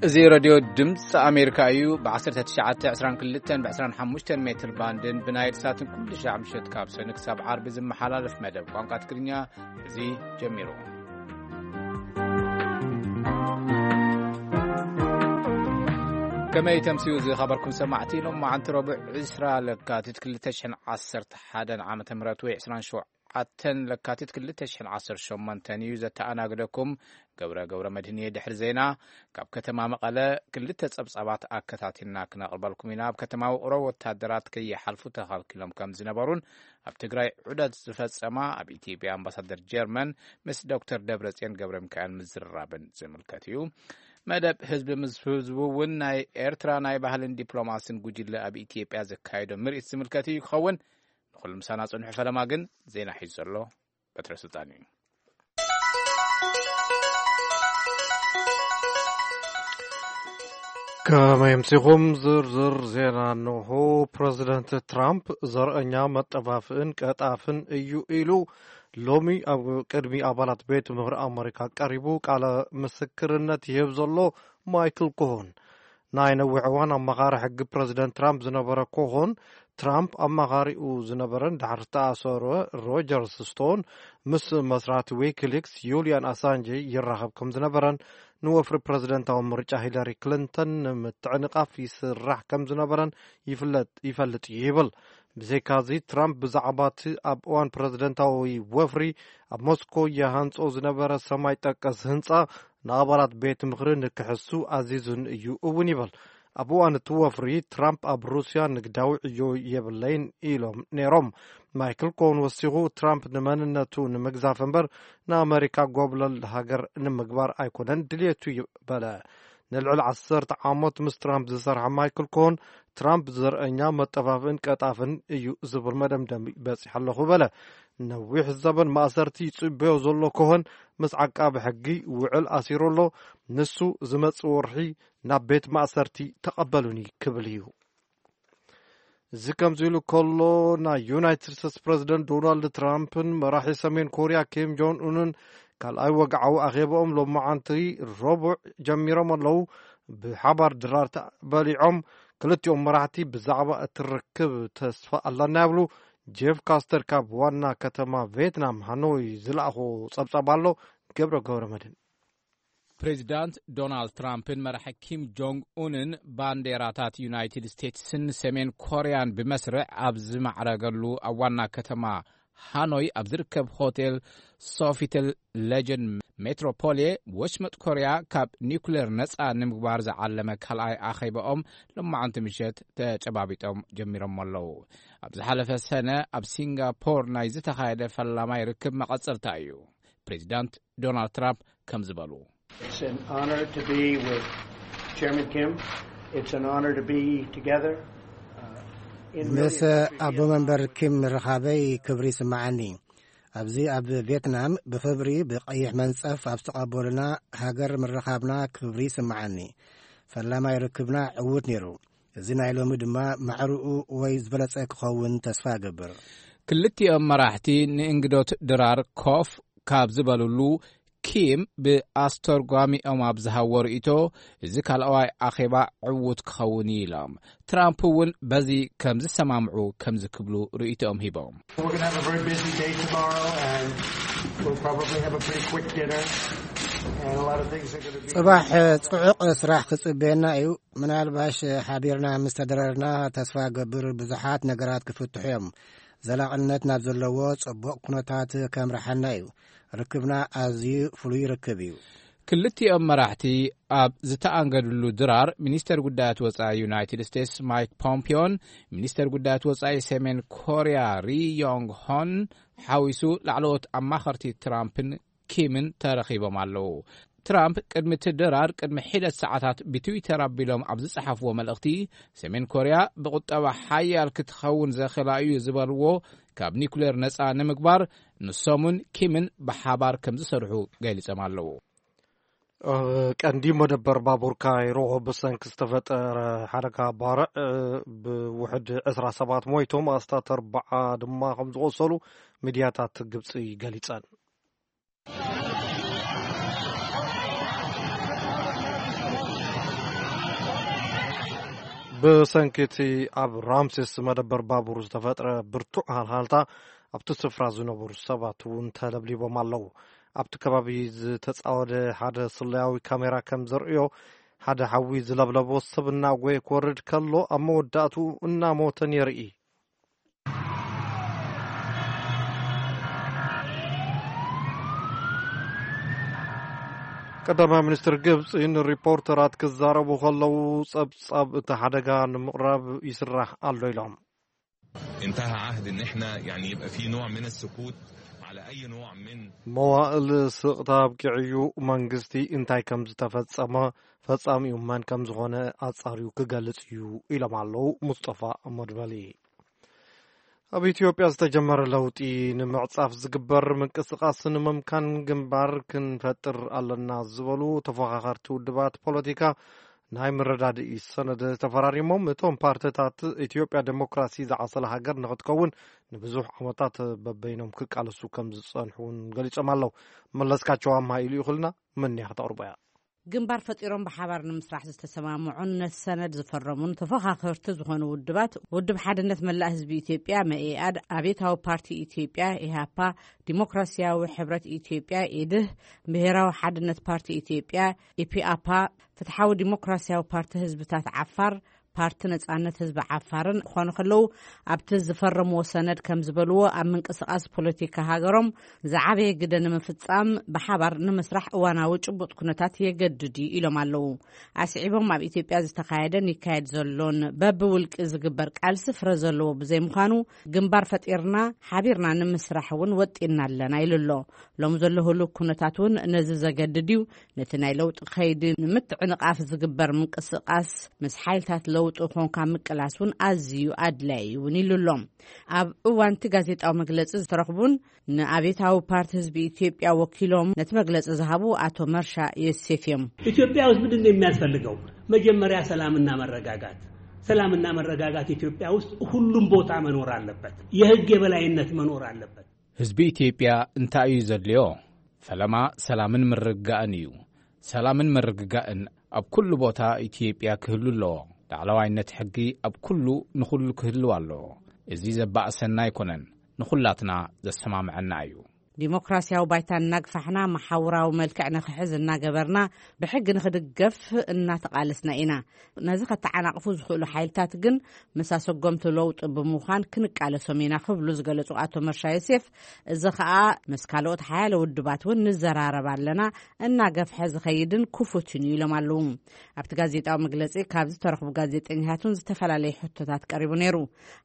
እዚ ሬድዮ ድምፂ ኣሜሪካ እዩ። ብ1922 ብ25 ሜትር ባንድን ብናይል ሳትን ኩሉ ሻዕ ምሸት ካብ ሰኑይ ክሳብ ዓርቢ ዝመሓላለፍ መደብ ቋንቋ ትግርኛ እዚ ጀሚሩ። ከመይ ተምስዩ ዝኸበርኩም ሰማዕቲ፣ ሎማዓንቲ ረቡዕ 20 ለካቲት 2011 ዓመተ ምህረት ወይ 27 ለካቲት 2018 እዩ። ዘተኣናግደኩም ገብረ ገብረ መድህን እየ። ድሕሪ ዜና ካብ ከተማ መቐለ ክልተ ጸብጻባት ኣከታቲልና ክነቕርበልኩም ኢና። ኣብ ከተማ ውቕሮ ወታደራት ከይሓልፉ ተኸልኪሎም ከም ዝነበሩን ኣብ ትግራይ ዑደት ዝፈጸማ ኣብ ኢትዮጵያ ኣምባሳደር ጀርመን ምስ ዶክተር ደብረጽዮን ገብረ ሚካኤል ምዝርራብን ዝምልከት እዩ። መደብ ህዝቢ ምስ ህዝቡ እውን ናይ ኤርትራ ናይ ባህልን ዲፕሎማስን ጉጅለ ኣብ ኢትዮጵያ ዘካየዶ ምርኢት ዝምልከት እዩ ክኸውን። ንኹሉ ምሳና ጽንሑ። ፈለማ ግን ዜና ሒዙ ዘሎ በትረ ስልጣን እዩ። ከመይ ኣምሲኹም? ዝርዝር ዜና እንሆ። ፕረዚደንት ትራምፕ ዘርእኛ መጠፋፍእን ቀጣፍን እዩ ኢሉ ሎሚ ኣብ ቅድሚ ኣባላት ቤት ምኽሪ ኣመሪካ ቀሪቡ ቃለ ምስክርነት ይህብ ዘሎ ማይክል ኮሆን፣ ናይ ነዊሕ እዋን ኣማኻሪ ሕጊ ፕረዚደንት ትራምፕ ዝነበረ ኮሆን፣ ትራምፕ ኣማኻሪኡ ዝነበረን ድሕሪ ዝተኣሰረ ሮጀርስ ስቶን ምስ መስራቲ ዊኪሊክስ ዩልያን ኣሳንጀ ይራኸብ ከም ዝነበረን ንወፍሪ ፕረዚደንታዊ ምርጫ ሂለሪ ክሊንተን ንምትዕንቓፍ ይስራሕ ከም ዝነበረን ይፍለጥ፣ ይፈልጥ እዩ ይብል። ብዘይካዚ ትራምፕ ብዛዕባ እቲ ኣብ እዋን ፕረዚደንታዊ ወፍሪ ኣብ ሞስኮ ይሃንጾ ዝነበረ ሰማይ ጠቀስ ህንጻ ንኣባላት ቤት ምኽሪ ንክሕሱ ኣዚዙን እዩ እውን ይብል። ኣብ እዋን እቲ ወፍሪ ትራምፕ ኣብ ሩስያ ንግዳዊ ዕዮ የብለይን ኢሎም ነይሮም። ማይክል ኮን ወሲኹ ትራምፕ ንመንነቱ ንምግዛፍ እምበር ንኣመሪካ ጎብለል ሃገር ንምግባር ኣይኮነን ድልየቱ በለ። ንልዕሊ 10 ዓመት ምስ ትራምፕ ዝሰርሐ ማይክል ኮን ትራምፕ ዘርእኛ መጠፋፍእን ቀጣፍን እዩ ዝብል መደምደሚ በጺሐ ኣለኹ በለ። ነዊሕ ዘበን ማእሰርቲ ይጽበዮ ዘሎ ኮሆን ምስ ዓቃቢ ሕጊ ውዕል ኣሲሩ ኣሎ። ንሱ ዝመጽእ ወርሒ ናብ ቤት ማእሰርቲ ተቐበሉኒ ክብል እዩ። እዚ ከምዚ ኢሉ ከሎ፣ ናይ ዩናይትድ ስቴትስ ፕረዚደንት ዶናልድ ትራምፕን መራሒ ሰሜን ኮርያ ኪም ጆን ኡንን ካልኣይ ወግዓዊ ኣኼባኦም ሎማዓንቲ ረቡዕ ጀሚሮም ኣለዉ። ብሓባር ድራር በሊዖም። ክልቲኦም መራሕቲ ብዛዕባ እቲ ርክብ ተስፋ ኣለና ይብሉ። ጄፍ ካስተር ካብ ዋና ከተማ ቪየትናም ሃኖይ ዝለኣኾ ጸብጻብ ኣሎ። ገብረ ገብረ መድህን። ፕሬዚዳንት ዶናልድ ትራምፕን መራሒ ኪም ጆንግ ኡንን ባንዴራታት ዩናይትድ ስቴትስን ሰሜን ኮርያን ብመስርዕ ኣብ ዝማዕረገሉ ኣብ ዋና ከተማ ሃኖይ ኣብ ዝርከብ ሆቴል ሶፊተል ሌጀንድ ሜትሮፖልየ፣ ወሽመጥ ኮርያ ካብ ኒውክሌር ነጻ ንምግባር ዝዓለመ ካልኣይ ኣኼባኦም ሎማዓንቲ ምሸት ተጨባቢጦም ጀሚሮም ኣለዉ። ኣብ ዝሓለፈ ሰነ ኣብ ሲንጋፖር ናይ ዝተኻየደ ፈላማይ ርክብ መቐጸልታ እዩ። ፕሬዚዳንት ዶናልድ ትራምፕ ከም ዝበሉ። It's an honor to be with Chairman Kim. It's an honor to be together, uh, in really a country. ምስ ኣቦ መንበር ኪም ምርኻበይ ክብሪ ይስምዓኒ። ኣብዚ ኣብ ቪየትናም ብኽብሪ ብቐይሕ መንጸፍ ኣብ ዝተቐበሉና ሃገር ምርኻብና ክብሪ ይስምዓኒ። ፈላማይ ርክብና ዕዉት ነይሩ። እዚ ናይ ሎሚ ድማ ማዕርኡ ወይ ዝበለጸ ክኸውን ተስፋ እገብር። ክልቲኦም መራሕቲ ንእንግዶት ድራር ኮፍ ካብ ዝበሉሉ፣ ኪም ብኣስተርጓሚኦም ኣብ ዝሃቦ ርእይቶ፣ እዚ ካልኣዋይ ኣኼባ ዕዉት ክኸውን እዩ ኢሎም። ትራምፕ እውን በዚ ከም ዝሰማምዑ ከምዚ ክብሉ ርእይቶኦም ሂቦም። We're gonna have a very busy day tomorrow, and we'll probably have a pretty quick dinner, and a lot of things are gonna be ጽባሕ ጽዑቕ ስራሕ ክጽበየና እዩ። ምናልባሽ ሓቢርና ምስ ተደረርና፣ ተስፋ ገብር ብዙሓት ነገራት ክፍትሑ እዮም። ዘላቕነት ናብ ዘለዎ ጽቡቕ ኩነታት ከምርሓና እዩ። ርክብና ኣዝዩ ፍሉይ ርክብ እዩ። ክልቲኦም መራሕቲ ኣብ ዝተኣንገድሉ ድራር፣ ሚኒስተር ጉዳያት ወጻኢ ዩናይትድ ስቴትስ ማይክ ፖምፒዮን ሚኒስተር ጉዳያት ወጻኢ ሰሜን ኮርያ ሪ ዮንግ ሆን ሓዊሱ ላዕለዎት ኣማኸርቲ ትራምፕን ኪምን ተረኺቦም ኣለዉ። ትራምፕ ቅድሚ እቲ ድራር ቅድሚ ሒደት ሰዓታት ብትዊተር ኣቢሎም ኣብ ዝጸሓፍዎ መልእኽቲ፣ ሰሜን ኮርያ ብቁጠባ ሓያል ክትኸውን ዘኽእላ እዩ ዝበልዎ ካብ ኒኩሌር ነጻ ንምግባር ንሶምን ኪምን ብሓባር ከም ዝሰርሑ ገሊጾም ኣለዉ። ኣብ ቀንዲ መደበር ባቡር ካይሮ ብሰንኪ ዝተፈጠረ ሓደጋ ባርዕ ብውሕድ ዕስራ ሰባት ሞይቶም፣ ኣስታት ኣርብዓ ድማ ከም ዝቖሰሉ ሚድያታት ግብጺ ገሊጸን። ብሰንኪ እቲ ኣብ ራምሴስ መደበር ባቡር ዝተፈጥረ ብርቱዕ ሃልሃልታ፣ ኣብቲ ስፍራ ዝነበሩ ሰባት እውን ተለብሊቦም ኣለዉ። ኣብቲ ከባቢ ዝተጻወደ ሓደ ስለያዊ ካሜራ ከም ዘርእዮ፣ ሓደ ሓዊ ዝለብለቦ ሰብ እናጎየ ክወርድ ከሎ፣ ኣብ መወዳእትኡ እናሞተ የርኢ። ቀዳማይ ሚኒስትር ግብጺ ንሪፖርተራት ክዛረቡ ከለዉ፣ ጸብጻብ እቲ ሓደጋ ንምቕራብ ይስራሕ ኣሎ ኢሎም። انتهى عهد ان احنا يعني يبقى في نوع من السكوت على اي نوع من መዋእል ስቕታ ኣብቂዑ እዩ። መንግስቲ እንታይ ከም ዝተፈጸመ፣ ፈጻሚኡ መን ከም ዝኾነ ኣጻርዩ ክገልጽ እዩ ኢሎም ኣለዉ ሙስጠፋ መድበሊ። ኣብ ኢትዮጵያ ዝተጀመረ ለውጢ ንምዕጻፍ ዝግበር ምንቅስቓስ ንምምካን ግንባር ክንፈጥር ኣለና ዝበሉ ተፎኻኸርቲ ውድባት ፖለቲካ ናይ መረዳድኢ ሰነድ ተፈራሪሞም። እቶም ፓርቲታት ኢትዮጵያ ዴሞክራሲ ዝዓሰለ ሃገር ንክትከውን ንብዙሕ ዓመታት በበይኖም ክቃለሱ ከም ዝጸንሑ እውን ገሊጾም ኣለዉ። መለስካቸው ኣምሃ ኢሉ ይኹልና መን እያ ከተቕርቦ እያ። ግንባር ፈጢሮም ብሓባር ንምስራሕ ዝተሰማምዑን ነቲ ሰነድ ዝፈረሙን ተፎኻኸርቲ ዝኾኑ ውድባት፣ ውድብ ሓድነት መላእ ህዝቢ ኢትዮጵያ መኢኣድ፣ ኣብዮታዊ ፓርቲ ኢትዮጵያ ኢሃፓ፣ ዲሞክራሲያዊ ሕብረት ኢትዮጵያ ኢድህ፣ ብሄራዊ ሓድነት ፓርቲ ኢትዮጵያ ኢፒኣፓ፣ ፍትሓዊ ዲሞክራሲያዊ ፓርቲ ህዝብታት ዓፋር፣ ፓርቲ ነጻነት ህዝቢ ዓፋርን ክኾኑ ከለዉ፣ ኣብቲ ዝፈረምዎ ሰነድ ከም ዝበልዎ፣ ኣብ ምንቅስቓስ ፖለቲካ ሃገሮም ዝዓበየ ግደ ንምፍጻም ብሓባር ንምስራሕ እዋናዊ ጭቡጥ ኩነታት የገድድ እዩ ኢሎም ኣለዉ። ኣስዒቦም፣ ኣብ ኢትዮጵያ ዝተኻየደን ይካየድ ዘሎን በብውልቂ ዝግበር ቃልሲ ፍረ ዘለዎ ብዘይምዃኑ፣ ግንባር ፈጢርና ሓቢርና ንምስራሕ እውን ወጢንና ኣለና ኢሉ ኣሎ። ሎም ዘሎ ህሉው ኩነታት እውን ነዚ ዘገድድ እዩ። ነቲ ናይ ለውጢ ከይዲ ንምትዕንቓፍ ዝግበር ምንቅስቓስ ምስ ሓይልታት ለውጢ ኮንካ ምቅላስ እውን ኣዝዩ ኣድላዪ እውን ኢሉ ኣሎ። ኣብ እዋን እቲ ጋዜጣዊ መግለጺ ዝተረኽቡን ንኣብዮታዊ ፓርቲ ህዝቢ ኢትዮጵያ ወኪሎም ነቲ መግለጺ ዝሃቡ ኣቶ መርሻ ዮሴፍ እዮም። ኢትዮጵያ ውስጥ ምንድን ነው የሚያስፈልገው? መጀመሪያ ሰላምና መረጋጋት። ሰላምና መረጋጋት ኢትዮጵያ ውስጥ ሁሉም ቦታ መኖር አለበት። የህግ የበላይነት መኖር አለበት። ህዝቢ ኢትዮጵያ እንታይ እዩ ዘድልዮ? ፈለማ ሰላምን ምርግጋእን እዩ። ሰላምን ምርግጋእን ኣብ ኩሉ ቦታ ኢትዮጵያ ክህሉ ኣለዎ። ላዕለዋይነት ሕጊ ኣብ ኩሉ ንኹሉ ክህልው ኣለዎ። እዚ ዘባእሰና ኣይኮነን፣ ንኹላትና ዘሰማምዐና እዩ። ዲሞክራሲያዊ ባይታ እናግፋሕና፣ መሓውራዊ መልክዕ ንኽሕዝ እናገበርና፣ ብሕጊ ንኽድገፍ እናተቓለስና ኢና። ነዚ ከተዓናቕፉ ዝኽእሉ ሓይልታት ግን ምስ ኣሰጎምቲ ለውጢ ብምዃን ክንቃለሶም ኢና ክብሉ ዝገለጹ ኣቶ መርሻ ዮሴፍ፣ እዚ ኸኣ ምስ ካልኦት ሓያለ ውድባት እውን ንዘራረብ ኣለና፣ እናገፍሐ ዝኸይድን ክፉትን እዩ ኢሎም ኣለዉ። ኣብቲ ጋዜጣዊ መግለጺ ካብ ዝተረኽቡ ጋዜጠኛታት እውን ዝተፈላለዩ ሕቶታት ቀሪቡ ነይሩ።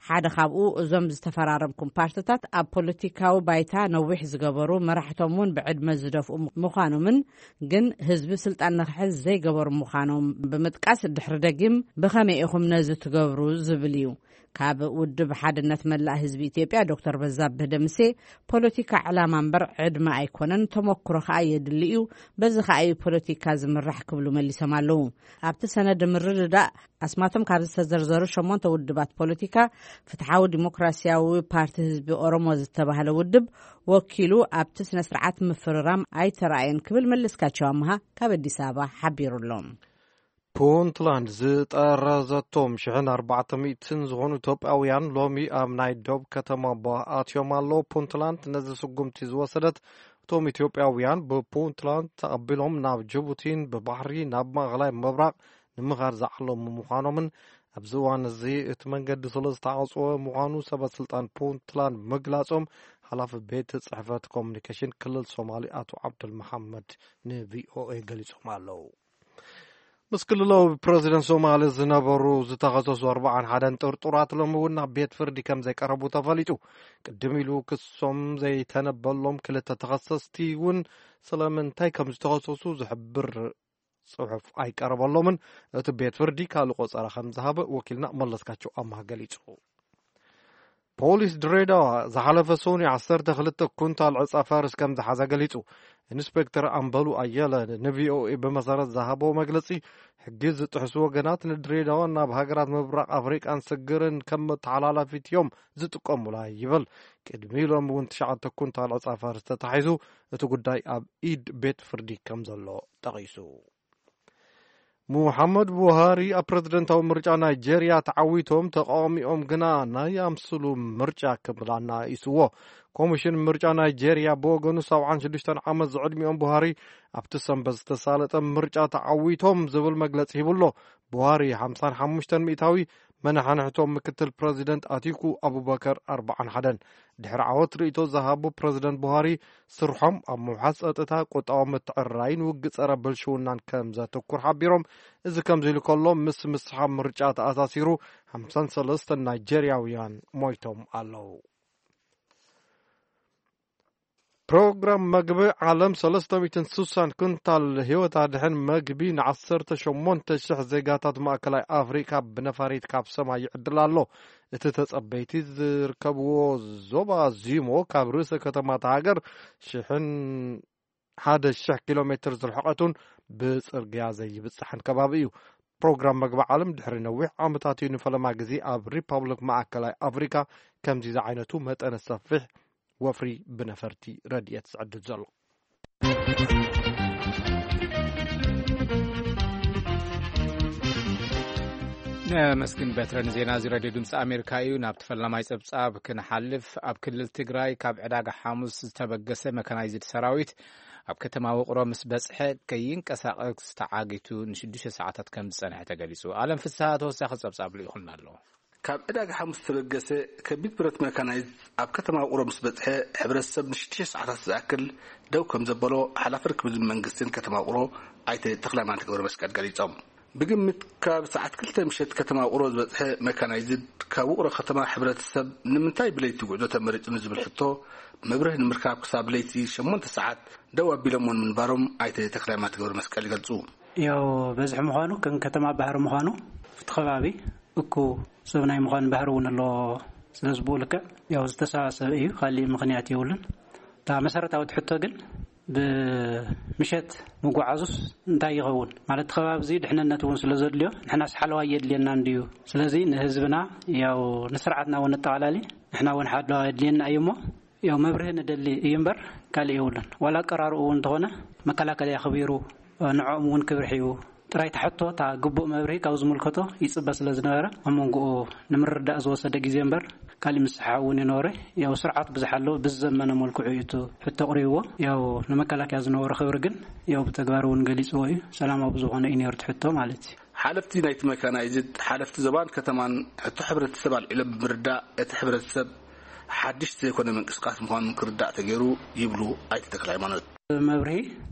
ሓደ ካብኡ፣ እዞም ዝተፈራረምኩም ፓርቲታት ኣብ ፖለቲካዊ ባይታ ነዊሕ ዝገበሩ፣ መራሕቶም እውን ብዕድመ ዝደፍኡ ምዃኖምን፣ ግን ህዝቢ ስልጣን ንኽሕዝ ዘይገበሩ ምዃኖም ብምጥቃስ፣ ድሕሪ ደጊም ብኸመይ ኢኹም ነዚ ትገብሩ ዝብል እዩ። ካብ ውድብ ሓድነት መላእ ህዝቢ ኢትዮጵያ ዶክተር በዛብህ ደምሴ፣ ፖለቲካ ዕላማ እምበር ዕድመ ኣይኮነን፣ ተመክሮ ከኣ የድሊ እዩ፣ በዚ ከኣ እዩ ፖለቲካ ዝምራሕ ክብሉ መሊሶም ኣለዉ። ኣብቲ ሰነድ ምርድዳእ ኣስማቶም ካብ ዝተዘርዘሩ ሸሞንተ ውድባት ፖለቲካ፣ ፍትሓዊ ዲሞክራሲያዊ ፓርቲ ህዝቢ ኦሮሞ ዝተባህለ ውድብ ወኪሉ ኣብቲ ስነ ስርዓት ምፍርራም ኣይተራእየን ክብል መለስካቸው ኣምሃ ካብ ኣዲስ ኣበባ ሓቢሩ ኣሎ። ፑንትላንድ ዝጠረዘቶም ሽሕን ኣርባዕተ ሚእትን ዝኾኑ ኢትዮጵያውያን ሎሚ ኣብ ናይ ዶብ ከተማ ቦ ኣትዮም ኣለዉ። ፑንትላንድ ነዚ ስጉምቲ ዝወሰደት፣ እቶም ኢትዮጵያውያን ብፑንትላንድ ተቐቢሎም ናብ ጅቡቲን ብባሕሪ ናብ ማእኸላይ ምብራቕ ንምኻድ ዝዓለሙ ምዃኖምን፣ ኣብዚ እዋን እዚ እቲ መንገዲ ስለ ዝተዓጽወ ምዃኑ ሰበ ስልጣን ፑንትላንድ ምግላጾም፣ ሓላፊ ቤት ጽሕፈት ኮሙኒኬሽን ክልል ሶማሊ ኣቶ ዓብዱል መሓመድ ንቪኦኤ ገሊጾም ኣለዉ። ምስ ክልላዊ ፕረዚደንት ሶማሊ ዝነበሩ ዝተኸሰሱ ኣርባዓን ሓደን ጥርጡራት ሎሚ እውን ናብ ቤት ፍርዲ ከም ዘይቀረቡ ተፈሊጡ። ቅድም ኢሉ ክሶም ዘይተነበሎም ክልተ ተኸሰስቲ እውን ስለምንታይ ከም ዝተኸሰሱ ዝሕብር ጽሑፍ ኣይቀረበሎምን። እቲ ቤት ፍርዲ ካልእ ቆጸራ ከም ዝሃበ ወኪልና መለስካቸው ኣማህ ገሊጹ። ፖሊስ ድሬዳዋ ዝሓለፈ ሰኑይ ዓሰርተ ክልተ ኩንታል ዕጻ ፋርስ ከም ዝሓዘ ገሊጹ። ኢንስፔክተር ኣምበሉ ኣየለ ንቪኦኤ ብመሰረት ዝሃቦ መግለጺ፣ ሕጊ ዝጥሕሱ ወገናት ንድሬዳዋን ናብ ሃገራት ምብራቕ ኣፍሪቃን ስግርን ከም መተሓላላፊት እዮም ዝጥቀሙላ ይብል። ቅድሚ ሎም እውን ትሽዓተ ኩንታል ዕጻ ፋርስ ተታሒዙ፣ እቲ ጉዳይ ኣብ ኢድ ቤት ፍርዲ ከም ዘሎ ጠቒሱ። ሙሓመድ ቡሃሪ ኣብ ፕረዚደንታዊ ምርጫ ናይጄርያ ተዓዊቶም፣ ተቃዋሚኦም ግና ናይ ኣምስሉ ምርጫ ክብል ኣናኢስዎ። ኮሚሽን ምርጫ ናይጄርያ ብወገኑ፣ ሰብዓን ሽዱሽተን ዓመት ዝዕድሚኦም ቡሃሪ ኣብቲ ሰንበት ዝተሳለጠ ምርጫ ተዓዊቶም ዝብል መግለጺ ሂቡ ኣሎ። ቡሃሪ ሓምሳን ሓሙሽተን ሚእታዊ፣ መነሓንሕቶም ምክትል ፕረዚደንት ኣቲኩ ኣቡበከር ኣርባዓን ሓደን። ድሕሪ ዓወት ርእይቶ ዝሃቡ ፕረዚደንት ቡሃሪ፣ ስርሖም ኣብ ምውሓስ ጸጥታ፣ ቁጠባዊ ምትዕርራይን ውግእ ጸረ ብልሽውናን ከም ዘተኩር ሓቢሮም። እዚ ከምዚ ኢሉ ከሎ፣ ምስ ምስሓብ ምርጫ ተኣሳሲሩ ሓምሳን ሰለስተን ናይጄርያውያን ሞይቶም ኣለዉ። ፕሮግራም መግቢ ዓለም ሰለስተ ሚእትን ስሳን ኩንታል ህይወት ኣድሕን መግቢ ንዓሰርተ ሸሞንተ ሽሕ ዜጋታት ማእከላይ ኣፍሪካ ብነፋሪት ካብ ሰማይ ይዕድል ኣሎ። እቲ ተጸበይቲ ዝርከብዎ ዞባ ዚሞ ካብ ርእሰ ከተማታ ሃገር ሽሕን ሓደ ሽሕ ኪሎ ሜትር ዝርሕቀቱን ብጽርግያ ዘይብጽሕን ከባቢ እዩ። ፕሮግራም መግቢ ዓለም ድሕሪ ነዊሕ ዓመታት እዩ ንፈለማ ግዜ ኣብ ሪፓብሊክ ማእከላይ ኣፍሪካ ከምዚ ዝዓይነቱ መጠነ ሰፊሕ ወፍሪ ብነፈርቲ ረድኤት ዝዕድል ዘሎ። ነመስግን በትረ ንዜና እዚ ሬድዮ ድምፂ ኣሜሪካ እዩ። ናብ ተፈላማይ ፀብፃብ ክንሓልፍ፣ ኣብ ክልል ትግራይ ካብ ዕዳጋ ሓሙስ ዝተበገሰ መካናይዝድ ሰራዊት ኣብ ከተማ ውቕሮ ምስ በፅሐ ከይንቀሳቀስ ተዓጊቱ ንሽዱሽተ ሰዓታት ከም ዝፀንሐ ተገሊፁ። ኣለም ፍስሃ ተወሳኺ ፀብፃብ ልኢኹልና ኣሎ። ካብ ዕዳጋ ሓሙስ ዝተበገሰ ከቢድ ብረት መካናይዝ ኣብ ከተማ ውቕሮ ምስ በፅሐ፣ ሕብረተሰብ ንሽዱሽተ ሰዓታት ዝኣክል ደው ከም ዘበሎ ሓላፊ ርክብ ህዝቢ መንግስትን ከተማ ውቕሮ ኣይተ ተኽለሃይማኖት ገብረ መስቀል ገሊጾም። ብግምት ካብ ሰዓት ክልተ ምሸት ከተማ ውቕሮ ዝበፅሐ መካናይዝድ ካብ ውቕሮ ከተማ ሕብረተሰብ ንምንታይ ብለይቲ ጉዕዞ ተመሪጹ ንዝብል ሕቶ መብርህ ንምርካብ ክሳብ ለይቲ ሸሞንተ ሰዓት ደው ኣቢሎምዎ ንምንባሮም ኣይተ ተኽለሃይማኖት ገብረ መስቀል ይገልጹ። ያው በዝሒ ምዃኑ ከም ከተማ ባህሪ ምዃኑ እቲ ከባቢ እኩ ሰብ ናይ ምዃን ባህሪ እውን ኣለዎ። ስለዚ ብኡ ልክዕ ያው ዝተሰባሰበ እዩ፣ ካሊእ ምኽንያት የብሉን። እታ መሰረታዊት ሕቶ ግን ብምሸት ምጉዓዙስ እንታይ ይኸውን? ማለት እቲ ከባቢ እዚ ድሕንነት እውን ስለ ዘድልዮ ንሕናስ ሓለዋ የድልየና እንድዩ። ስለዚ ንህዝብና ያው ንስርዓትና እውን ነጠቓላሊ ንሕና እውን ሓለዋ የድልየና እዩ እሞ ያው መብርሂ ንደሊ እዩ እምበር ካልእ የብሉን። ዋላ ኣቀራርኡ እውን እንተኾነ መከላከልያ ኣኽቢሩ ንዕኦም እውን ክብሪ ሒቡ ጥራይ ተሕቶ እታ ግቡእ መብርሂ ካብ ዝምልከቶ ይጽበ ስለ ዝነበረ ኣብ መንጎኡ ንምርዳእ ዝወሰደ ግዜ እምበር ካሊእ ምስሓ እውን ይነበረ። ያው ስርዓት ብዙሕ ኣሎ ብዝዘመነ መልክዑ እዩ እቲ ሕቶ ኣቕሪብዎ። ያው ንመከላከያ ዝነበሮ ክብሪ ግን ያው ብተግባር እውን ገሊጽዎ እዩ። ሰላማዊ ብዝኾነ እዩ ነይሩ እቲ ሕቶ ማለት እዩ። ሓለፍቲ ናይቲ መካናይዝድ ሓለፍቲ ዞባን ከተማን ሕቶ ሕብረተሰብ ኣልዒሎም ብምርዳእ እቲ ሕብረተሰብ ሓድሽ ዘይኮነ ምንቅስቃስ ምዃኑ ክርዳእ ተገይሩ ይብሉ ኣይተ ተክለ ሃይማኖት። መብርሂ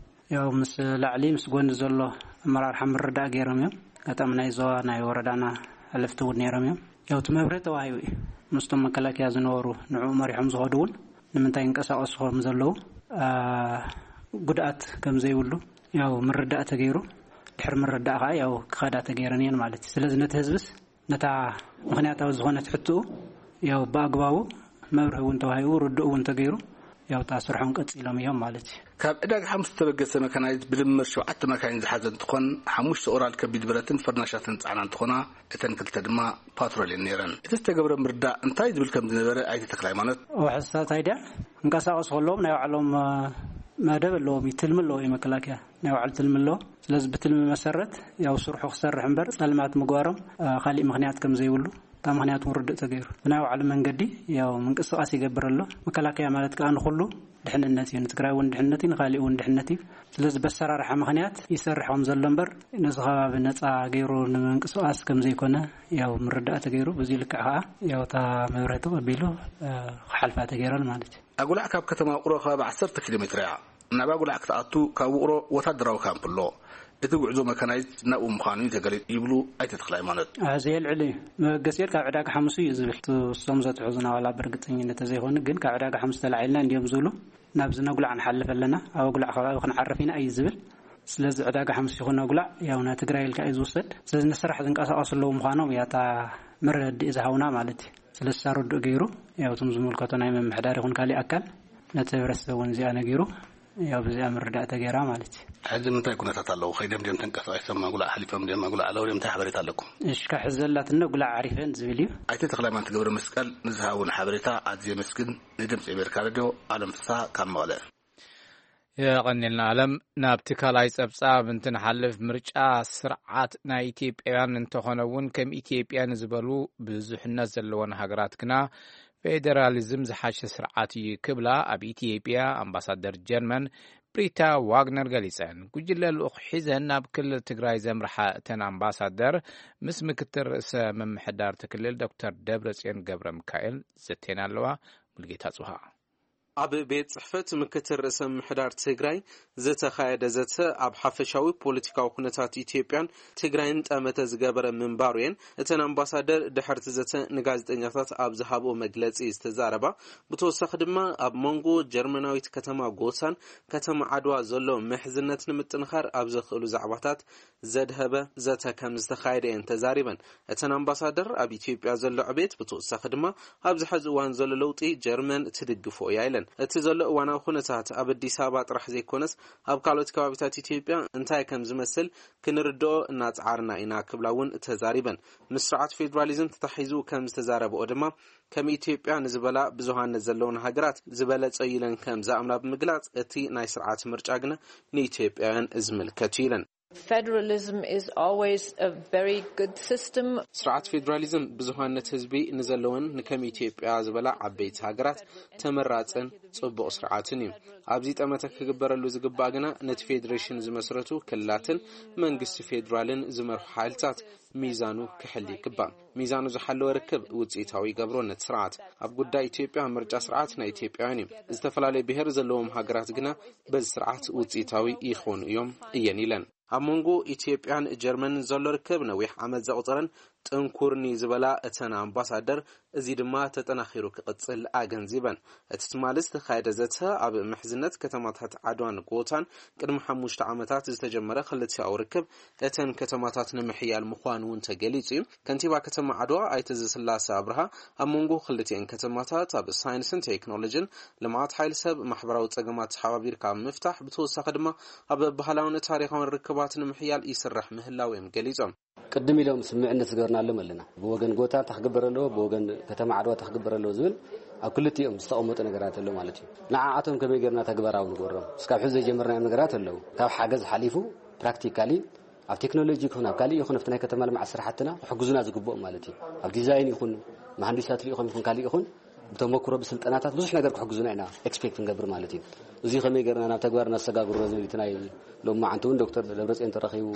ያው ምስ ላዕሊ ምስ ጎኒ ዘሎ ኣመራርሓ ምርዳእ ገይሮም እዮም። ኣጋጣሚ ናይ ዞባ ናይ ወረዳና ሓለፍቲ እውን ነይሮም እዮም። ያው እቲ መብርሂ ተዋሂቡ እዩ። ምስቶም መከላከያ ዝነበሩ ንዕኡ መሪሖም ዝኸዱ እውን ንምንታይ ይንቀሳቀሱ ከም ዘለዉ ኣ፣ ጉድኣት ከም ዘይብሉ ያው ምርዳእ ተገይሩ። ድሕሪ ምርዳእ ከዓ ያው ክኸዳ ተገይረን እየን ማለት እዩ። ስለዚ ነቲ ህዝብስ ነታ ምኽንያታዊ ዝኾነት ሕትኡ ያው ብኣግባቡ መብርሂ እውን ተዋሂቡ ርድእ እውን ተገይሩ ያው እታ ስርሖም ቀፂሎም እዮም ማለት እዩ። ካብ ዕዳጋ ሓሙስ ዝተበገሰ መካናይዝድ ብድምር ሸውዓተ መካይን ዝሓዘ እንትኾን ሓሙሽተ ኦራል ከቢድ ብረትን ፈርናሻትን ዝፀዓና እንትኾና እተን ክልተ ድማ ፓትሮል እየን ነይረን። እቲ ዝተገብረ ምርዳእ እንታይ ዝብል ከም ዝነበረ ኣይተ ተክለ ሃይማኖት። ወሓሳት ኣይድያ እንቀሳቀሱ ከለዎም ናይ ባዕሎም መደብ ኣለዎም እዩ፣ ትልሚ ኣለዎ እዩ መከላከያ ናይ ባዕሉ ትልሚ ኣለዎ። ስለዚ ብትልሚ መሰረት ያው ስርሑ ክሰርሕ እምበር ፀልማት ምግባሮም ካሊእ ምክንያት ከም ዘይብሉ እታ ምክንያት እውን ርድእ ተገይሩ ብናይ ባዕሉ መንገዲ ያው ምንቅስቃስ ይገብር ኣሎ። መከላከያ ማለት ከዓ ንኩሉ ድሕንነት እዩ፣ ንትግራይ እውን ድሕንነት እዩ፣ ንካሊእ እውን ድሕንነት እዩ። ስለዚ በሰራርሓ ምክንያት ይሰርሕ ከም ዘሎ እምበር ነዚ ከባቢ ነፃ ገይሩ ንምንቅስቃስ ከም ዘይኮነ ያው ምርዳእ ተገይሩ ብዙ ልክዕ ከዓ ያው እታ መብርህቲ ቀቢሉ ክሓልፋ ተገይረን ማለት እዩ። ኣጉላዕ ካብ ከተማ ውቅሮ ከባቢ ዓሰርተ ኪሎ ሜትር እያ። ናብ ኣጉላዕ ክትኣቱ ካብ ውቅሮ ወታደራዊ ካምፕ ኣሎ። እቲ ጉዕዞ መካናይዝ ናብኡ ምዃኑ እዩ ተገሊጹ ይብሉ ኣይተ ተክለ ሃይማኖት። ሕዚ የልዕል እዩ። መበገሲኤል ካብ ዕዳጋ ሓሙስ እዩ ዝብል። እሶም ዘትሑ ዝናዋላ ብርግፀኝነት ዘይኮኑ ግን ካብ ዕዳጋ ሓሙስ ተላዒልና እንዲዮም ዝብሉ ናብዚ ነጉላዕ ንሓልፍ ኣለና፣ ኣብ ኣጉላዕ ከባቢ ክንዓርፍ ኢና እዩ ዝብል። ስለዚ ዕዳጋ ሓሙስ ይኹን ኣጉላዕ ያው ናይ ትግራይ ኢልካ እዩ ዝውሰድ። ስለዚ ንስራሕ ዝንቀሳቀሱ ኣለዉ ምዃኖም እያ እታ መረድእ ዝሃውና ማለት እዩ። ስለዚ ሳረድኡ ገይሩ ያው እቶም ዝምልከቶ ናይ ምምሕዳር ይኹን ካሊእ ኣካል ነቲ ህብረተሰብ እውን እዚኣ ነጊሩ ያው ብዚኣ ምርዳእ ተገይራ ማለት እዩ። ሕዚ ምንታይ ኩነታት ኣለዉ? ከይደም ድም ተንቀሳቂሶም ኣጉላዕ ሓሊፎም ድም ኣጉላዕ ኣለዉ ድም እንታይ ሓበሬታ ኣለኩም? እሽካ ሕዚ ዘላትና ኣጉላዕ ዓሪፈን ዝብል እዩ። ኣይተ ተክለሃይማኖት ገብረ መስቀል ንዝሃቡን ሓበሬታ ኣዝየ መስግን። ንድምፂ ኣሜሪካ ሬድዮ ኣለም ፍስሃ ካብ መቐለ። የቐንልና ኣለም። ናብቲ ካልኣይ ጸብጻብ እንትንሓልፍ፣ ምርጫ ስርዓት ናይ ኢትዮጵያውያን እንተኾነ እውን፣ ከም ኢትዮጵያ ንዝበሉ ብዙሕነት ዘለወን ሃገራት ግና፣ ፌደራሊዝም ዝሓሸ ስርዓት እዩ ክብላ ኣብ ኢትዮጵያ ኣምባሳደር ጀርመን ብሪታ ዋግነር ገሊጸን። ጉጅለ ልኡኽ ሒዘን ናብ ክልል ትግራይ ዘምርሓ እተን ኣምባሳደር፣ ምስ ምክትል ርእሰ ምምሕዳር እቲ ክልል ዶክተር ደብረጽዮን ገብረ ሚካኤል ዘተየን ኣለዋ። ሙልጌታ ጽብሃ። ኣብ ቤት ጽሕፈት ምክትል ርእሰ ምምሕዳር ትግራይ ዝተኻየደ ዘተ፣ ኣብ ሓፈሻዊ ፖለቲካዊ ኩነታት ኢትዮጵያን ትግራይን ጠመተ ዝገበረ ምንባሩ እየን እተን ኣምባሳደር ድሕርቲ ዘተ ንጋዜጠኛታት ኣብ ዝሃብኦ መግለጺ ዝተዛረባ። ብተወሳኺ ድማ፣ ኣብ መንጎ ጀርመናዊት ከተማ ጎሳን ከተማ ዓድዋ ዘሎ ምሕዝነት ንምጥንኻር ኣብ ዘኽእሉ ዛዕባታት ዘድሀበ ዘተ ከም ዝተኻየደ እየን ተዛሪበን። እተን ኣምባሳደር፣ ኣብ ኢትዮጵያ ዘሎ ዕቤት፣ ብተወሳኺ ድማ ኣብዚ ሕዚ እዋን ዘሎ ለውጢ ጀርመን ትድግፎ እያ ኢለን። እቲ ዘሎ እዋናዊ ኩነታት ኣብ ኣዲስ ኣበባ ጥራሕ ዘይኮነስ፣ ኣብ ካልኦት ከባቢታት ኢትዮጵያ እንታይ ከም ዝመስል ክንርድኦ እናጸዓርና ኢና ክብላ እውን ተዛሪበን። ምስ ስርዓት ፌዴራሊዝም ተታሒዙ ከም ዝተዛረበኦ ድማ፣ ከም ኢትዮጵያ ንዝበላ ብዙሃነት ዘለውን ሃገራት ዝበለጸ እዩ ኢለን ከም ዝኣምና ብምግላጽ፣ እቲ ናይ ስርዓት ምርጫ ግና ንኢትዮጵያውያን ዝምልከት እዩ ኢለን። Federalism is always a very good system. ስርዓት ፌዴራሊዝም ብዙሃነት ህዝቢ ንዘለወን ንከም ኢትዮጵያ ዝበላ ዓበይቲ ሃገራት ተመራጽን ጽቡቕ ስርዓትን እዩ። ኣብዚ ጠመተ ክግበረሉ ዝግባእ ግና፣ ነቲ ፌዴሬሽን ዝመስረቱ ክልላትን መንግስቲ ፌዴራልን ዝመርሑ ሓይልታት ሚዛኑ ክሕል ይግባእ። ሚዛኑ ዝሓለወ ርክብ ውጽኢታዊ ይገብሮ ነቲ ስርዓት። ኣብ ጉዳይ ኢትዮጵያ፣ ምርጫ ስርዓት ናይ ኢትዮጵያውያን እዩ። ዝተፈላለየ ብሔር ዘለዎም ሃገራት ግና በዚ ስርዓት ውጽኢታዊ ይኾኑ እዮም እየን ኢለን። ኣብ መንጎ ኢትዮጵያን ጀርመንን ዘሎ ርክብ ነዊሕ ዓመት ዘቑጸረን ጥንኩርኒ ዝበላ እተን ኣምባሳደር፣ እዚ ድማ ተጠናኺሩ ክቕጽል ኣገንዚበን። እቲ ትማሊ ዝተኻየደ ዘተ፣ ኣብ ምሕዝነት ከተማታት ዓድዋን ጎታን ቅድሚ ሓሙሽተ ዓመታት ዝተጀመረ ክልቲኣዊ ርክብ፣ እተን ከተማታት ንምሕያል ምዃኑ እውን ተገሊጹ እዩ። ከንቲባ ከተማ ዓድዋ ኣይተ ዘስላሰ ኣብርሃ፣ ኣብ መንጎ ክልቲኤን ከተማታት ኣብ ሳይንስን ቴክኖሎጂን፣ ልምዓት ሓይሊ ሰብ፣ ማሕበራዊ ጸገማት ተሓባቢርካ ኣብ ምፍታሕ፣ ብተወሳኺ ድማ ኣብ ባህላውን ታሪኻውን ርክባት ንምሕያል ይስራሕ ምህላው እዮም ገሊጾም። ቅድም ኢሎም ስምምዕነት ዝገበርናሎም ኣለና። ብወገን ጎታ እንታይ ክግበር ኣለዎ፣ ብወገን ከተማ ዓድዋ እንታይ ክግበር ኣለዎ ዝብል ኣብ ክልቲኦም ዝተቐመጡ ነገራት ኣሎ ማለት እዩ። ንዓኣቶም ከመይ ጌርና ተግባራዊ ንገብሮም? እስካብ ሕዚ ዘይጀመርናዮም ነገራት ኣለዉ። ካብ ሓገዝ ሓሊፉ፣ ፕራክቲካሊ፣ ኣብ ቴክኖሎጂ ይኹን ኣብ ካሊእ ይኹን ኣብቲ ናይ ከተማ ልምዓት ስራሕትና ክሕግዙና ዝግብኦም ማለት እዩ። ኣብ ዲዛይን ይኹን፣ መሃንዲሳት ልኢኾም ይኹን ካሊእ ይኹን፣ ብተመክሮ ብስልጠናታት ብዙሕ ነገር ክሕግዙና ኢና ኤክስፔክት ንገብር ማለት እዩ። እዚ ከመይ ጌርና ናብ ተግባር ነሰጋግሮ ዝብል እቲ ናይ ሎማዓንቲ እውን ዶክተር ደብረፅዮን ተረኺቡ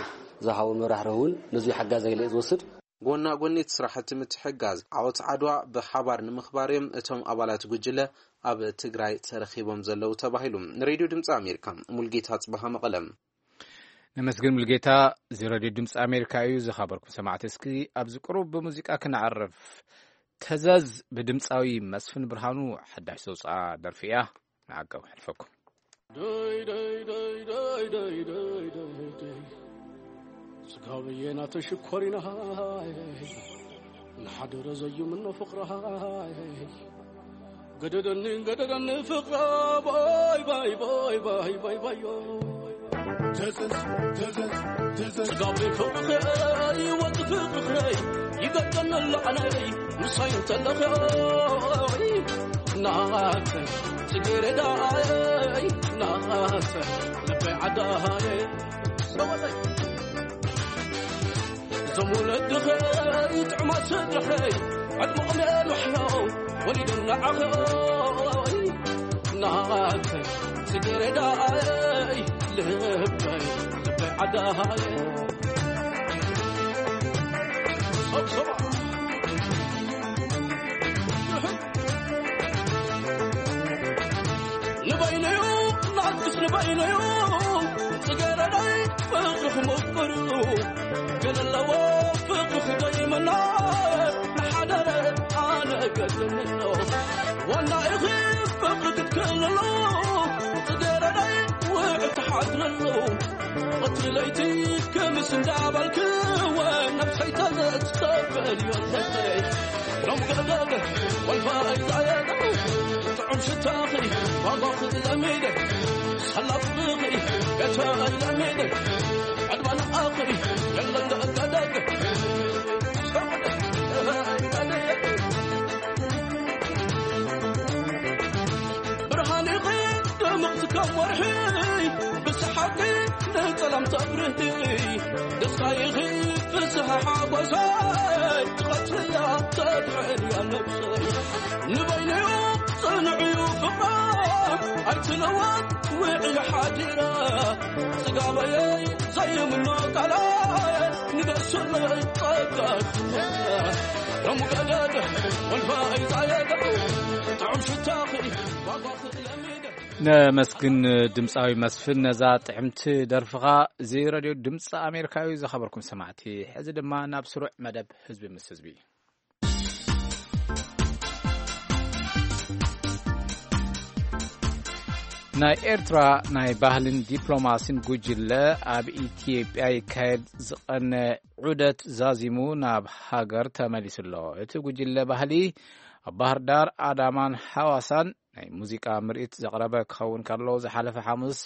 ዝሃቦ መብራህርሂ እውን ነዚ ሓጋዛይ ኢለ እየ ዝወስድ። ጎና ጎኒ እቲ ስራሕቲ ምትሕጋዝ፣ ዓወት ዓድዋ ብሓባር ንምኽባር እዮም እቶም ኣባላት ጉጅለ ኣብ ትግራይ ተረኺቦም ዘለዉ ተባሂሉ። ንሬድዮ ድምፂ ኣሜሪካ፣ ሙልጌታ ጽበሃ፣ መቐለ። ነመስግን ሙልጌታ። እዚ ሬድዮ ድምፂ ኣሜሪካ እዩ። ዝኸበርኩም ሰማዕቲ፣ እስኪ ኣብዚ ቅሩብ ብሙዚቃ ክነዕርፍ። ተዘዝ ብድምፃዊ መስፍን ብርሃኑ ሓዳሽ ዘውፅኣ ደርፊ እያ። ንዓቀብ ሕልፈኩም። ደይ ደይ ደይ ደይ ደይ ደይ ደይ ደይ። ስጋብዬ ናተሽኮሪና ንሓደረ ዘዩ ምኖ ፍቕራ። ገደደኒ ገደደኒ ፍቕራ። ባይ ባይ ባይ ባይ ባይ ባዮ። ተዘዝ ተዘዝ ተዘዝ። ስጋበይ ፍቕርኸይ ወዲ ፍቕርኸይ ይገደኒ ኣሎ ዓነይ ምሳይ እንተለኸይ ናተ ጽጌረዳይ ናተ ልበይ ዓዳይ ሰወደይ። እዞም ወለድኸይ ጥዑማት ስድርኸይ ዕድመኦም የንውሕዮ ወሊዶም ንዓኸይ ናተ ጽጌረዳይ ልበይ ልበይ ዓዳይ። ንበይነዩ ናትስ ንበይነዩ ጽጌረዳይ ፍቕርኽ ምቑር እዩ። ገለ ኣለዎ ፍቕርኽ ደይመና ንሓደረ ኣነ ገድምኖ ዋና ኢኺ ፍቕሪ ክትክእልሎ ጽጌረዳይ ውዕ ትሓድረሉ። ቀትሪ ለይቲ ክምስ እንዳበልክወ ነብሰይ ተዘትሰበል ዮለይ ሎም ገደገ ወልፋ ኣይዛየደ ጥዑም ሽታኺ ዋጓኺ ለሚደ ሰላፍኺ ገተ ለሚደ ዕድመ ንዓኺ የለን ደገደገ ብርሃን ይቕድም ምቕቲ ከም ወርሒ ብስሓቂ ንጸላም ተብርህ። ደስታ ይኺ ፍስሓ ሓጎሳይ ትቐትልያ ተድዕልያ ነብሰይ። ንበይነዮ ጽንዕዩ ፍቕራ ኣይትለወጥ ውዕል ሓዲራ። ጽጋበየይ ዘይምኖ ቃላይ ንገስለይ ጸጋ ትመራ። ሮም ገደድ ወልፋይ ዛየደ ጥዑም ሽታኺ ዋጓ ክትለሚደ። ነመስግን ድምፃዊ መስፍን ነዛ ጥዕምቲ ደርፍኻ። እዚ ረድዮ ድምፂ ኣሜሪካ እዩ። ዝኸበርኩም ሰማዕቲ፣ ሕዚ ድማ ናብ ስሩዕ መደብ ህዝቢ ምስ ህዝቢ። ናይ ኤርትራ ናይ ባህልን ዲፕሎማሲን ጉጅለ ኣብ ኢትዮጵያ ይካየድ ዝቐነ ዑደት ዛዚሙ ናብ ሃገር ተመሊሱ ኣሎ። እቲ ጉጅለ ባህሊ ኣብ ባህር ዳር፣ ኣዳማን ሃዋሳን ናይ ሙዚቃ ምርኢት ዘቕረበ ክኸውን ከሎ፣ ዝሓለፈ ሓሙስ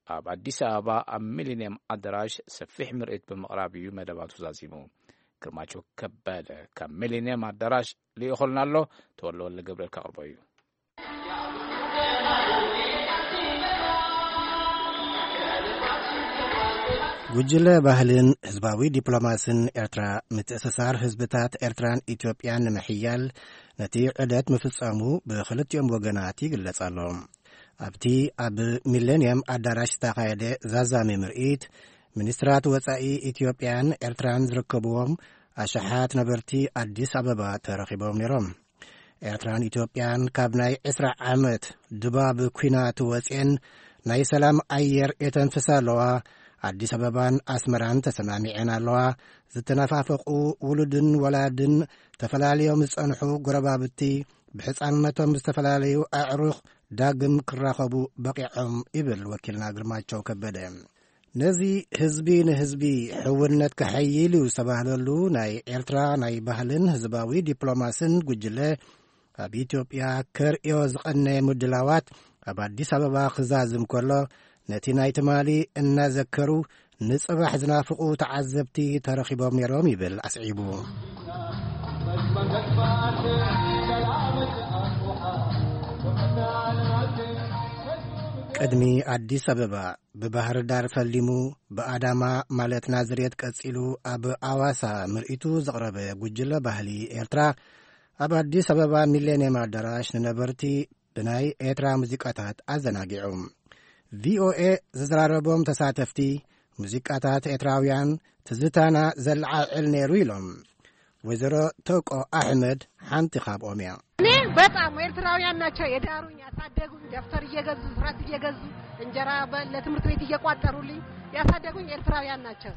ኣብ ኣዲስ ኣበባ ኣብ ሚሊኒየም ኣዳራሽ ሰፊሕ ምርኢት ብምቕራብ እዩ መደባቱ ዛዚሙ። ግርማቸው ከበደ ካብ ሚሊኒየም ኣዳራሽ ልኢኾልና ኣሎ። ተወልደ ወልደ ገብርኤል ከቕርቦ እዩ። ጉጅለ ባህልን ህዝባዊ ዲፕሎማስን ኤርትራ፣ ምትእስሳር ህዝብታት ኤርትራን ኢትዮጵያን ንምሕያል ነቲ ዑደት ምፍጻሙ ብኽልቲኦም ወገናት ይግለጽ ኣሎ። ኣብቲ ኣብ ሚሌንየም ኣዳራሽ ዝተኻየደ ዛዛሚ ምርኢት፣ ሚኒስትራት ወጻኢ ኢትዮጵያን ኤርትራን ዝርከብዎም ኣሽሓት ነበርቲ ኣዲስ ኣበባ ተረኺቦም ነይሮም። ኤርትራን ኢትዮጵያን ካብ ናይ ዕስራ ዓመት ድባብ ኲናት ወጽኤን ናይ ሰላም ኣየር የተንፍሳ ኣለዋ። ኣዲስ ኣበባን ኣስመራን ተሰማሚዐን ኣለዋ። ዝተነፋፈቑ ውሉድን ወላድን፣ ተፈላልዮም ዝጸንሑ ጎረባብቲ፣ ብሕጻንነቶም ዝተፈላለዩ ኣዕሩኽ ዳግም ክራኸቡ በቒዖም ይብል ወኪልና ግርማቸው ከበደ። ነዚ ህዝቢ ንህዝቢ ሕውነት ከሐይል እዩ ዝተባህለሉ ናይ ኤርትራ ናይ ባህልን ህዝባዊ ዲፕሎማስን ጉጅለ ኣብ ኢትዮጵያ ከርእዮ ዝቐነየ ምድላዋት ኣብ ኣዲስ ኣበባ ክዛዝም ከሎ፣ ነቲ ናይ ትማሊ እናዘከሩ ንጽባሕ ዝናፍቑ ተዓዘብቲ ተረኺቦም ነይሮም ይብል ኣስዒቡ። ቅድሚ ኣዲስ ኣበባ ብባህር ዳር ፈሊሙ ብኣዳማ ማለት ናዝሬት ቀጺሉ ኣብ ኣዋሳ ምርኢቱ ዘቕረበ ጉጅለ ባህሊ ኤርትራ፣ ኣብ ኣዲስ ኣበባ ሚሌንየም ኣዳራሽ ንነበርቲ ብናይ ኤርትራ ሙዚቃታት ኣዘናጊዑ። ቪኦኤ ዝዘራረቦም ተሳተፍቲ፣ ሙዚቃታት ኤርትራውያን ትዝታና ዘለዓዕል ነይሩ ኢሎም። ወይዘሮ ተቆ ኣሕመድ ሓንቲ ካብኦም እያ። እኔ በጣም ኤርትራውያን ናቸው የዳሩኝ፣ ያሳደጉኝ፣ ደብተር እየገዙ፣ ስራት እየገዙ፣ እንጀራ በ-፣ ለትምህርት ቤት እየቋጠሩልኝ ያሳደጉኝ ኤርትራውያን ናቸው።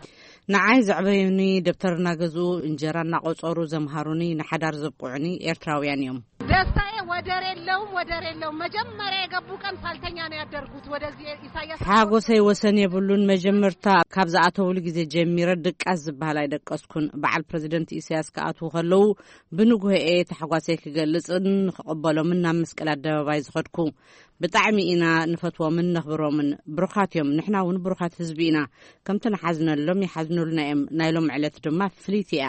ንዓይ ዘዕበዩኒ፣ ደብተር እናገዝኡ፣ እንጀራ እናቆጸሩ ዘምሃሩኒ፣ ንሓዳር ዘብቁዑኒ ኤርትራውያን እዮም። ደስታዬ ወደር የለውም፣ ወደር የለውም። መጀመሪያ የገቡ ቀን ሳልተኛ ነው ያደርጉት። ወደዚህ ኢሳያስ ሓጎሰይ ወሰን የብሉን። መጀመርታ ካብ ዝኣተውሉ ግዜ ጀሚረ ድቃስ ዝበሃል ኣይደቀስኩን። በዓል ፕረዚደንት ኢሳያስ ክኣትዉ ከለዉ ብንግሆ እየ ታሕጓሰይ ክገልጽን ክቕበሎምን ናብ መስቀል ኣደባባይ ዝኸድኩ። ብጣዕሚ ኢና ንፈትዎምን ነኽብሮምን። ብሩኻት እዮም። ንሕና እውን ብሩኻት ህዝቢ ኢና። ከምቲ ንሓዝነሎም ይሓዝኑልና እዮም። ናይ ሎም ዕለት ድማ ፍልይቲ እያ።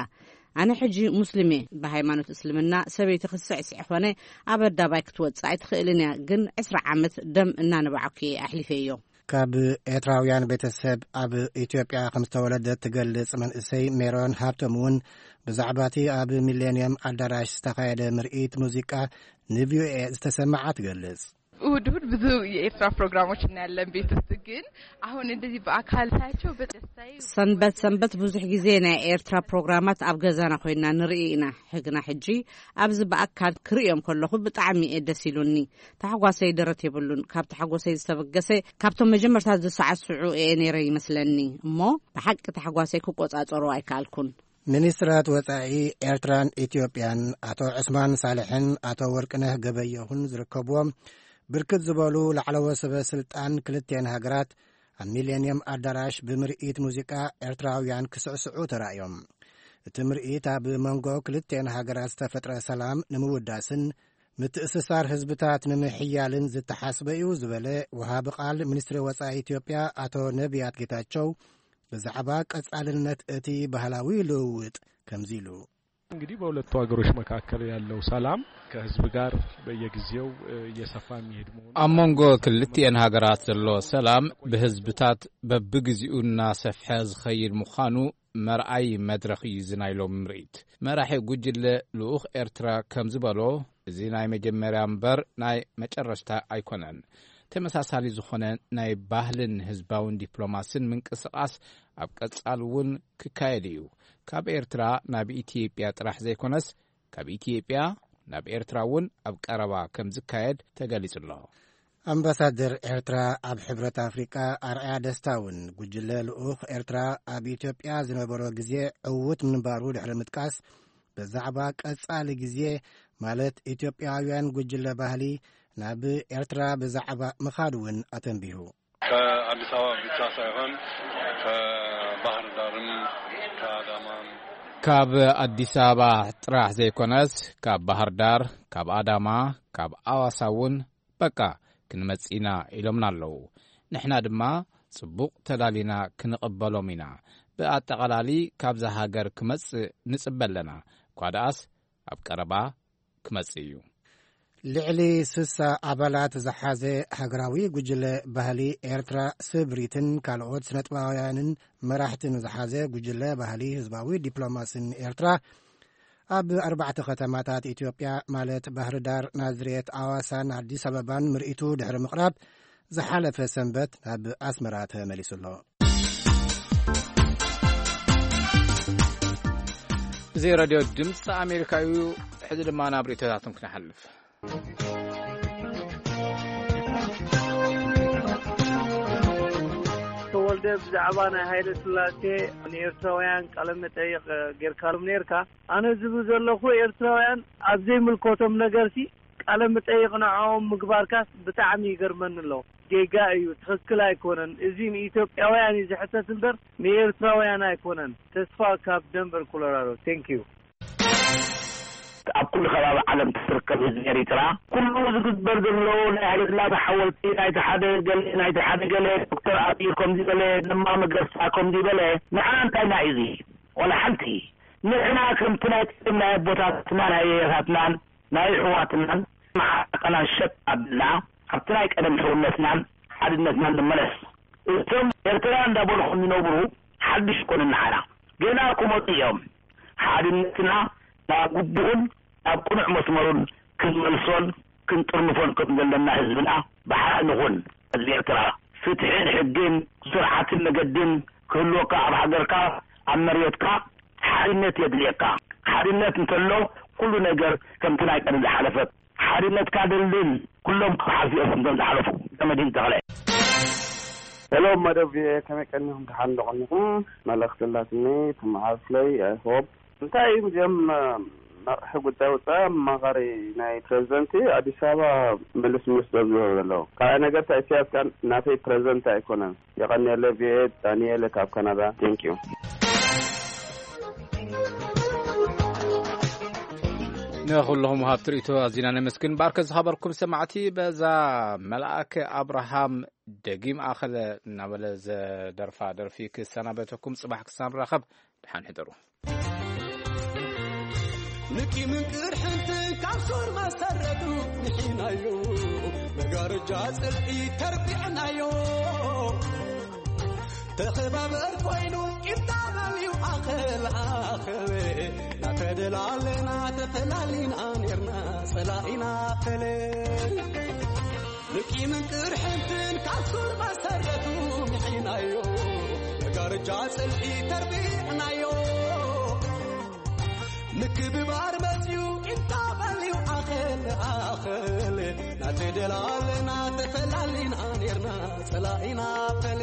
ኣነ ሕጂ ሙስሊም እየ። ብሃይማኖት እስልምና ሰበይቲ ክስዕስዕ ኾነ ኣብ ኣዳባይ ክትወጽእ ኣይትኽእልን እያ። ግን ዕስራ ዓመት ደም እናነባዕኩ እየ ኣሕሊፈዮ። ካብ ኤርትራውያን ቤተሰብ ኣብ ኢትዮጵያ ከም ዝተወለደት ትገልጽ መንእሰይ ሜሮን ሃብቶም እውን ብዛዕባ እቲ ኣብ ሚሌንየም ኣዳራሽ ዝተኻየደ ምርኢት ሙዚቃ ንቪኦኤ ዝተሰማዓ ትገልጽ። እሁድ እሁድ ብዙ የኤርትራ ፕሮግራሞች እናያለን ቤት ውስጥ፣ ግን አሁን እንደዚህ በአካል ሳያቸው በጣም ደስታዬ። ሰንበት ሰንበት ብዙሕ ግዜ ናይ ኤርትራ ፕሮግራማት ኣብ ገዛና ኮይና ንርኢ ኢና። ሕግና ሕጂ ኣብዚ ብኣካል ክርእዮም ከለኹ ብጣዕሚ እየ ደስ ኢሉኒ። ታሕጓሰይ ደረት የብሉን። ካብ ታሕጎሰይ ዝተበገሰ ካብቶም መጀመርታ ዝሰዓስዑ እየ ነይረ ይመስለኒ። እሞ ብሓቂ ታሕጓሰይ ክቆጻጸሮ ኣይከኣልኩን። ሚኒስትራት ወጻኢ ኤርትራን ኢትዮጵያን ኣቶ ዑስማን ሳልሕን ኣቶ ወርቅነህ ገበየሁን ዝርከብዎም ብርክት ዝበሉ ላዕለዎት ሰበ ስልጣን ክልቴን ሃገራት ኣብ ሚሌንየም ኣዳራሽ ብምርኢት ሙዚቃ ኤርትራውያን ክስዕስዑ ተራእዮም። እቲ ምርኢት ኣብ መንጎ ክልቴን ሃገራት ዝተፈጥረ ሰላም ንምውዳስን ምትእስሳር ህዝብታት ንምሕያልን ዝተሓስበ እዩ ዝበለ ወሃቢ ቃል ሚኒስትሪ ወጻኢ ኢትዮጵያ ኣቶ ነቢያት ጌታቸው፣ ብዛዕባ ቀጻልነት እቲ ባህላዊ ልውውጥ ከምዚ ኢሉ። እንግዲህ በሁለቱ ሀገሮች መካከል ያለው ሰላም ከህዝብ ጋር በየጊዜው እየሰፋ የሚሄድ መሆኑ ኣብ መንጎ ክልቲኤን ሃገራት ዘሎ ሰላም ብህዝብታት በብግዚኡ እናሰፍሐ ዝኸይድ ምዃኑ መርኣይ መድረኽ እዩ እዚ ናይ ሎሚ ምርኢት። መራሒ ጉጅለ ልኡኽ ኤርትራ ከም ዝበሎ፣ እዚ ናይ መጀመርያ እምበር ናይ መጨረሽታ ኣይኮነን። ተመሳሳሊ ዝኾነ ናይ ባህልን ህዝባውን ዲፕሎማስን ምንቅስቓስ ኣብ ቀጻሊ እውን ክካየድ እዩ። ካብ ኤርትራ ናብ ኢትዮጵያ ጥራሕ ዘይኮነስ፣ ካብ ኢትዮጵያ ናብ ኤርትራ እውን ኣብ ቀረባ ከም ዝካየድ ተገሊጹ ኣሎ። ኣምባሳደር ኤርትራ ኣብ ሕብረት ኣፍሪቃ ኣርኣያ ደስታ እውን፣ ጉጅለ ልኡኽ ኤርትራ ኣብ ኢትዮጵያ ዝነበሮ ግዜ ዕዉት ምንባሩ ድሕሪ ምጥቃስ፣ ብዛዕባ ቀጻሊ ግዜ፣ ማለት ኢትዮጵያውያን ጉጅለ ባህሊ ናብ ኤርትራ ብዛዕባ ምኻድ እውን ኣተንቢሁ። ከኣዲስ ኣበባ ብቻ ሳይሆን ከባህር ዳርም ከአዳማም ካብ ኣዲስ ኣበባ ጥራሕ ዘይኮነስ፣ ካብ ባህር ዳር፣ ካብ ኣዳማ፣ ካብ ኣዋሳ እውን በቃ ክንመጽእ ኢና ኢሎምና ኣለዉ። ንሕና ድማ ጽቡቕ ተዳሊና ክንቕበሎም ኢና። ብኣጠቓላሊ ካብዛ ሃገር ክመጽእ ንጽበ ኣለና። እኳ ደኣስ ኣብ ቀረባ ክመጽእ እዩ። ልዕሊ ስሳ ኣባላት ዝሓዘ ሃገራዊ ጉጅለ ባህሊ ኤርትራ፣ ስብሪትን ካልኦት ስነጥበባውያንን መራሕትን ዝሓዘ ጉጅለ ባህሊ ህዝባዊ ዲፕሎማስን ኤርትራ፣ ኣብ ኣርባዕተ ከተማታት ኢትዮጵያ፣ ማለት ባህር ዳር፣ ናዝሬት፣ ኣዋሳን ኣዲስ ኣበባን ምርኢቱ ድሕሪ ምቕራብ፣ ዝሓለፈ ሰንበት ናብ ኣስመራ ተመሊሱ ኣሎ። እዚ ሬድዮ ድምፂ ኣሜሪካ እዩ። ሕዚ ድማ ናብ ርእይቶታቶም ክንሓልፍ። ተወልደ፣ ብዛዕባ ናይ ሃይለ ስላሴ ንኤርትራውያን ቃለ መጠይቕ ጌርካሎም ኔርካ። ኣነ ዝብል ዘለኹ፣ ኤርትራውያን ኣብ ዘይምልከቶም ነገርሲ ቃለ መጠይቕ ንዕኦም ምግባርካስ ብጣዕሚ ይገርመኒ ኣሎ። ጌጋ እዩ፣ ትኽክል ኣይኮነን። እዚ ንኢትዮጵያውያን እዩ ዝሕተት እምበር ንኤርትራውያን ኣይኮነን። ተስፋ ካብ ደንቨር ኮሎራዶ። Thank you። ኣብ ኩሉ ከባቢ ዓለም ትርከብ ህዝቢ ኤሪትራ፣ ኩሉ ዝግበር ዘሎ ናይ ሃይለስላሴ ሓወልቲ፣ ናይቲ ሓደ ገለ፣ ናይቲ ሓደ ገለ፣ ዶክተር ኣብይ ከምዚ በለ፣ ለማ መገርሳ ከምዚ በለ፣ ንዓና እንታይ ኢና እዚ? ዋላ ሓንቲ። ንሕና ከምቲ ናይ ቀደም ናይ ኣቦታትና፣ ናይ ኣያታትናን ናይ ኣሕዋትናን መዓርቃና ሸጥ ኣቢልና፣ ኣብቲ ናይ ቀደም ሕውነትናን ሓድነትናን ንመለስ። እቶም ኤርትራ እንዳበልኹም ዝነብሩ ሓድሽ ኮኑ ንዓና። ገና ክመጹ እዮም። ሓድነትና ናብ ግቡኡን ናብ ቅኑዕ መስመሩን ክንመልሶን ክንጥርንፎን ከም ዘለና ህዝብና ብሓደ ንኹን። ህዝቢ ኤርትራ፣ ፍትሕን ሕግን ስርዓትን መገድን ክህልወካ፣ ኣብ ሃገርካ፣ ኣብ መሬትካ ሓድነት የድልየካ። ሓድነት እንተሎ፣ ኩሉ ነገር ከምቲ ናይ ቀደም ዝሓለፈ። ሓድነትካ ደልድል፣ ኩሎም ክሓልፉ እዮም ከምቶም ዝሓለፉ። ተመዲን ተኽለ። ሄሎ፣ መደብ ቪኦኤ፣ ከመይ ቀኒኹም? ደሓን ዶ ቀኒኹም? መልእኽቲ ኣላትኒ፣ ትመሓላለፍለይ፣ I hope። እንታይ እዮም እዚኦም፣ መራሒ ጉዳይ ወጻኢ፣ ኣማኻሪ ናይ ፕሬዚደንት ኣዲስ ኣበባ ምልስ ምልስ ደብዝበሉ ዘለዉ? ካልኣይ ነገር፣ እታ ኢሳያስ ከኣ ናተይ ፕሬዚደንት ኣይኮነን። የቐንየለይ፣ ቪኦኤ፣ ዳንኤል ካብ ካናዳ። Thank you። ንኹልኹም ወሃብቲ ርእይቶ ኣዚና ነመስግን። ባርከ ዝኸበርኩም ሰማዕቲ፣ በዛ መልኣከ ኣብርሃም ደጊም ኣኸለ እናበለ ዘደርፋ ደርፊ ክሰናበተኩም፣ ጽባሕ ክሳብ ንራኸብ፣ ደሓን ሕደሩ። ንቂምን ቅርሕንትን ካብ ሱር መሰረቱ ንሒናዮ፣ መጋረጃ ጽልኢ ተርቢዕናዮ። ተኸባበር ኮይኑ ቂምታ በልዩ ኣኸል ኣኸል፣ ናተደላለና ተፈላሊና ኔርና ጸላኢና ኣኸል። ንቂምን ቅርሕንትን ካብ ሱር መሰረቱ ምሒናዮ፣ መጋረጃ ጽልኢ ተርቢዕናዮ። ምክብባር መጽዩ ቂምታ በልዩ ኣኸል ኣኸል፣ ናተደላለና ተፈላሊና ኔርና ጸላኢና ኣኸል።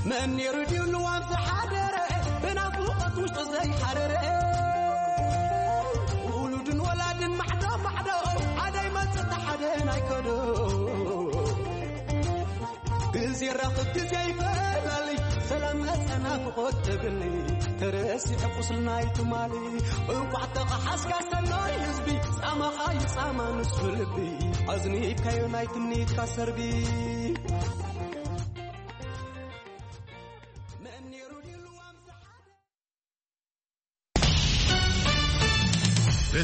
መን ነይሩ ድዩ ልዋም ዝሓደረ፣ ብናፍቖት ውሽጡ ዘይሓረረ? ውሉድን ወላድን ማዕዶ ማዕዶ፣ ሓደ ይመጽእ ሓደ ኣይከዶ። ግዜ ራኽብ ግዜ ይፈላሊ፣ ሰላም መጸ ናፍቖት ተብሊ፣ ተረሲዐ ቁስልና ይትማሊ። እንቋዕ ተኸሓስካ ሰናይ ህዝቢ፣ ጻማኻ ይጻማ ንሱ ልቢ፣ ኣዝኒካዮ ናይ ትምኒትካ ሰርቢ።